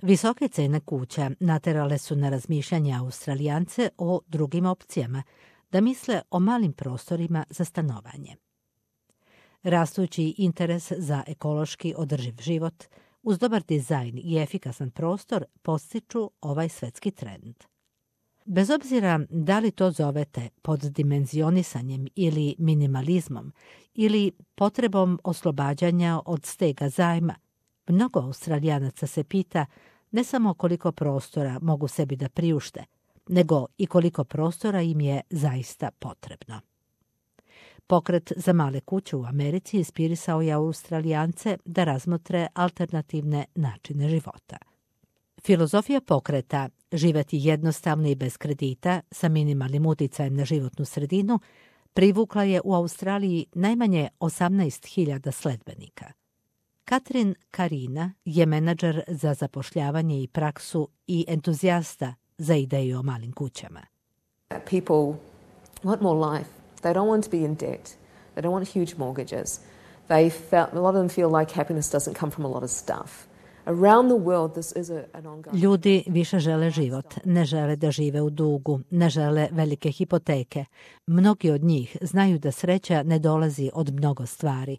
Visoke cene kuća naterale su na razmišljanje Australijance o drugim opcijama, da misle o malim prostorima za stanovanje. Rastući interes za ekološki održiv život, uz dobar dizajn i efikasan prostor, podstiču ovaj svetski trend. Bez obzira da li to zovete poddimenzionisanjem ili minimalizmom ili potrebom oslobađanja od stega zajma, mnogo Australijanaca se pita ne samo koliko prostora mogu sebi da priušte, nego i koliko prostora im je zaista potrebno. Pokret za male kuće u Americi inspirisao je Australijance da razmotre alternativne načine života. Filozofija pokreta živjeti jednostavno i bez kredita sa minimalnim uticajem na životnu sredinu privukla je u Australiji najmanje 18.000 sledbenika. Katrin Karina je menadžer za zapošljavanje i praksu i entuzijasta za ideju o malim kućama. People want more life. They don't want to be in debt. They don't want huge mortgages. A lot of them feel like happiness doesn't come from a lot of stuff. Around the world, this is an ongoing... Ljudi više žele život, ne žele da žive u dugu, ne žele velike hipoteke. Mnogi od njih znaju da sreća ne dolazi od mnogo stvari.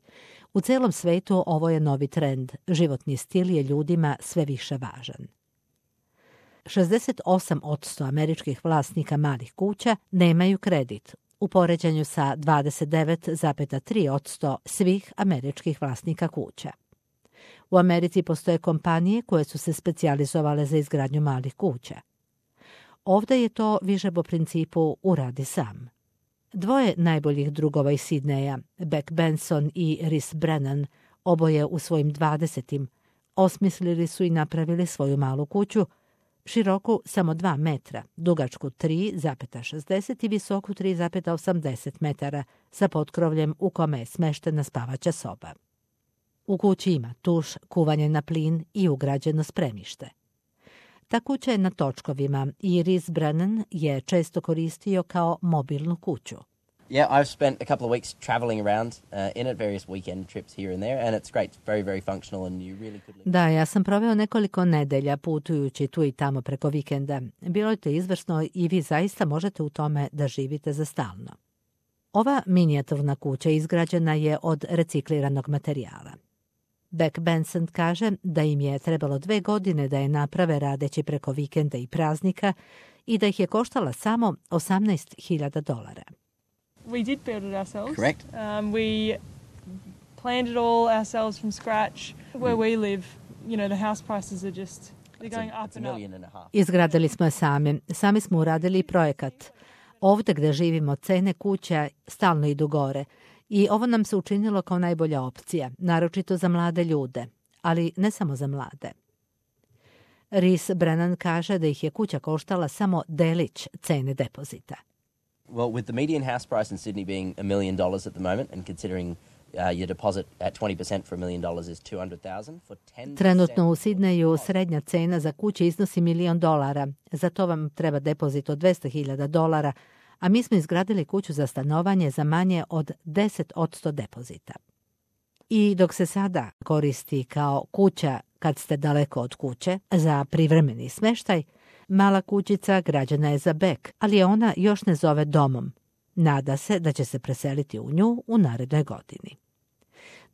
U celom svetu ovo je novi trend. Životni stil je ljudima sve više važan. 68% američkih vlasnika malih kuća nemaju kredit, u poređenju sa 29,3% svih američkih vlasnika kuća. U Americi postoje kompanije koje su se specijalizovale za izgradnju malih kuća. Ovdje je to više po principu uradi sam. Dvoje najboljih drugova iz Sidneja, Beck Benson i Rhys Brennan, oboje u svojim 20. osmislili su i napravili svoju malu kuću, široku samo 2 metra, dugačku 3,60 i visoku 3,80 metara, sa potkrovljem u kome je smeštena spavaća soba. U kući ima tuš, kuvanje na plin i ugrađeno spremište. Ta kuća je na točkovima i Rhys Brennan je često koristio kao mobilnu kuću. Yeah, I've spent a couple of weeks traveling around in it, various weekend trips here and there, and it's great, very, very functional and you really could live. Da, ja sam proveo nekoliko nedelja putujući tu i tamo preko vikenda. Bilo je to izvrsno i vi zaista možete u tome da živite za stalno. Ova minijaturna kuća izgrađena je od recikliranog materijala. Beck Benson kaže da im je trebalo 2 godine da je naprave radeći preko vikenda i praznika i da ih je koštala samo $18,000. We did build it ourselves. Correct. We planned it all ourselves from scratch. Where we live, you know, the house prices are just they're going up and up. Izgradili smo je sami. Sami smo uradili projekat. Ovdje gdje živimo cene kuća stalno idu gore. I ovo nam se učinilo kao najbolja opcija, naročito za mlade ljude, ali ne samo za mlade. Rhys Brennan kaže da ih je kuća koštala samo delić cene depozita. Well, with the median house price in Sydney being $1 million at the moment and considering your deposit at 20% for $1 million is $200,000 for 10%. Trenutno u Sidneju srednja cena za kuće iznosi $1 milion. Za to vam treba depozit od $200,000, a mi smo izgradili kuću za stanovanje za manje od 10% depozita. I dok se sada koristi kao kuća kad ste daleko od kuće za privremeni smeštaj, mala kućica građena je za Beck, ali je ona još ne zove domom. Nada se da će se preseliti u nju u narednoj godini.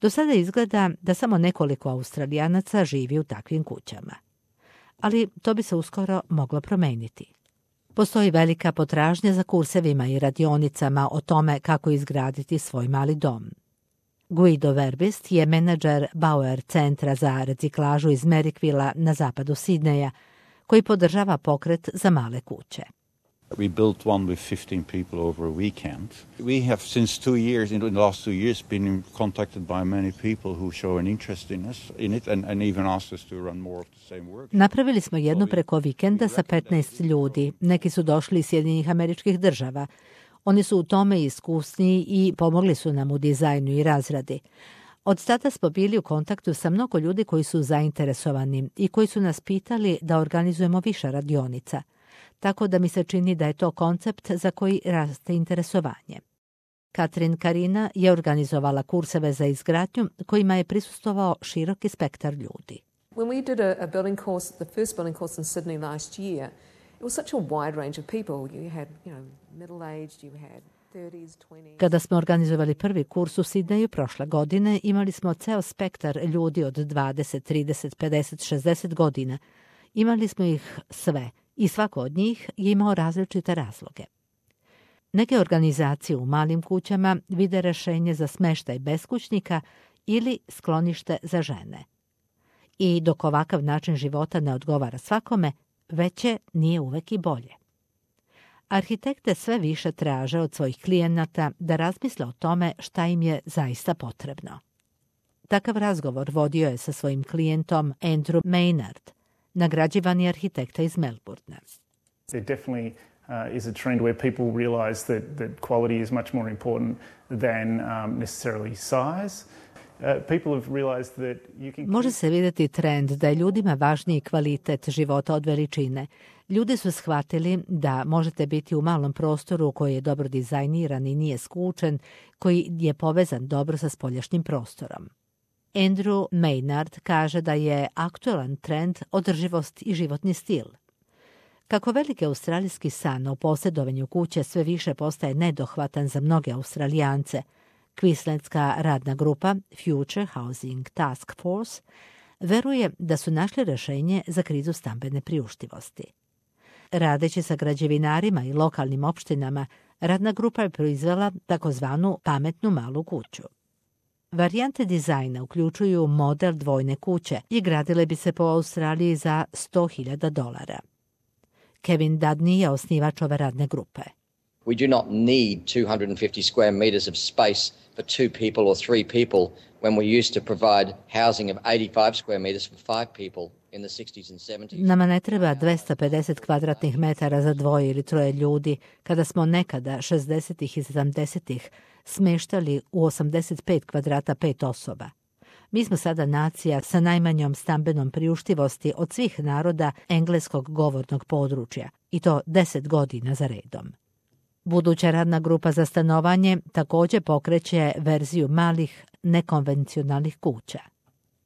Do sada izgleda da samo nekoliko Australijanaca živi u takvim kućama. Ali to bi se uskoro moglo promeniti. Postoji velika potražnja za kursevima i radionicama o tome kako izgraditi svoj mali dom. Guido Verbist je menadžer Bauer centra za reciklažu iz Merrickvilla na zapadu Sidneja, koji podržava pokret za male kuće. We built one with 15 people over a weekend. We have since 2 years, in the last 2 years, been contacted by many people who show an interest in it and even asked us to run more of the same work. Napravili smo jednu preko vikenda sa 15 ljudi. Neki su došli iz Sjedinjenih Američkih Država. Oni su u tome iskusni i pomogli su nam u dizajnu i razradi. Od tada smo bili u kontaktu sa mnogo ljudi koji su zainteresovani i koji su nas pitali da organizujemo više radionica. Tako da mi se čini da je to koncept za koji raste interesovanje. Katrin Karina je organizovala kurseve za izgradnju kojima je prisustvovao široki spektar ljudi. When we did a building course, the first building course in Sydney last year, it was such a wide range of people. You had, middle-aged, you had 30s, 20s. Kada smo organizovali prvi kurs u Sidneju prošle godine, imali smo ceo spektar ljudi od 20, 30, 50, 60 godina. Imali smo ih sve i svako od njih je imao različite razloge. Neke organizacije u malim kućama vide rešenje za smeštaj beskućnika ili sklonište za žene. I dok ovakav način života ne odgovara svakome, veće nije uvek i bolje. Arhitekte sve više traže od svojih klijenata da razmisle o tome šta im je zaista potrebno. Takav razgovor vodio je sa svojim klijentom Andrew Maynard, nagrađivani arhitekta iz Melbournea. There definitely is a trend where people realize that quality is much more important than necessarily size. Može se vidjeti trend da je ljudima važniji kvalitet života od veličine. Ljudi su shvatili da možete biti u malom prostoru koji je dobro dizajniran i nije skučen, koji je povezan dobro sa spoljašnjim prostorom. Andrew Maynard kaže da je aktualan trend održivost i životni stil. Kako veliki australijski san o posjedovanju kuće sve više postaje nedohvatan za mnoge Australijance, Queenslandska radna grupa Future Housing Task Force veruje da su našli rješenje za krizu stambene priuštivosti. Radeći sa građevinarima i lokalnim opštinama, radna grupa je proizvela takozvanu pametnu malu kuću. Varijante dizajna uključuju model dvojne kuće i gradile bi se po Australiji za $100,000. Kevin Dudney je osnivač ove radne grupe. We do not need 250 square meters of space for 2 people or 3 people when we used to provide housing of 85 square meters for 5 people in the 60s and 70s. Nama ne treba 250 kvadratnih metara za dvoje ili troje ljudi, kada smo nekada 60-ih i 70-ih smeštali u 85 kvadrata 5 osoba. Mi smo sada nacija sa najmanjom stambenom priuštivosti od svih naroda engleskog govornog područja, i to 10 godina za redom. Buduća radna grupa za stanovanje također pokreće verziju malih, nekonvencionalnih kuća.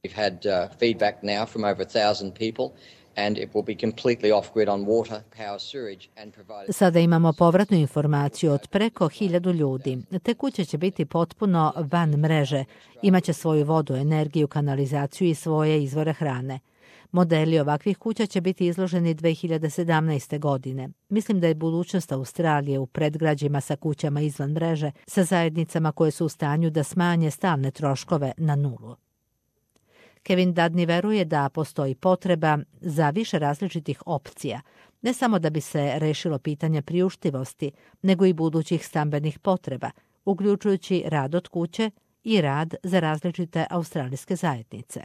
We've had feedback now from over 1,000 people and it will be completely off-grid on water, power, sewage and provide... Sada imamo povratnu informaciju od preko 1000 ljudi. Te kuće će biti potpuno van mreže, imaće svoju vodu, energiju, kanalizaciju i svoje izvore hrane. Modeli ovakvih kuća će biti izloženi 2017. godine. Mislim da je budućnost Australije u predgrađima sa kućama izvan mreže, sa zajednicama koje su u stanju da smanje stalne troškove na nulu. Kevin Dudney veruje da postoji potreba za više različitih opcija, ne samo da bi se rešilo pitanje priuštivosti, nego i budućih stambenih potreba, uključujući rad od kuće i rad za različite australijske zajednice.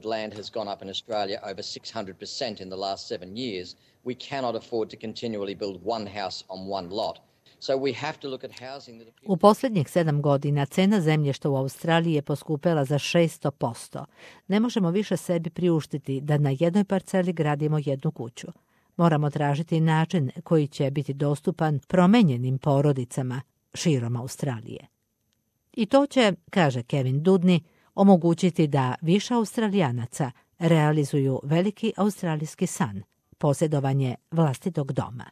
Land has gone up in Australia over 600% in the last 7 years. We cannot afford to continually build one house on one lot. So we have to look at housing that... U posljednjih 7 godina cena zemljišta u Australiji je poskupela za 600%. Ne možemo više sebi priuštiti da na jednoj parceli gradimo jednu kuću. Moramo tražiti način koji će biti dostupan promenjenim porodicama širom Australije. I to će, kaže Kevin Dudney, omogućiti da više Australijanaca realizuju veliki australijski san, posjedovanje vlastitog doma.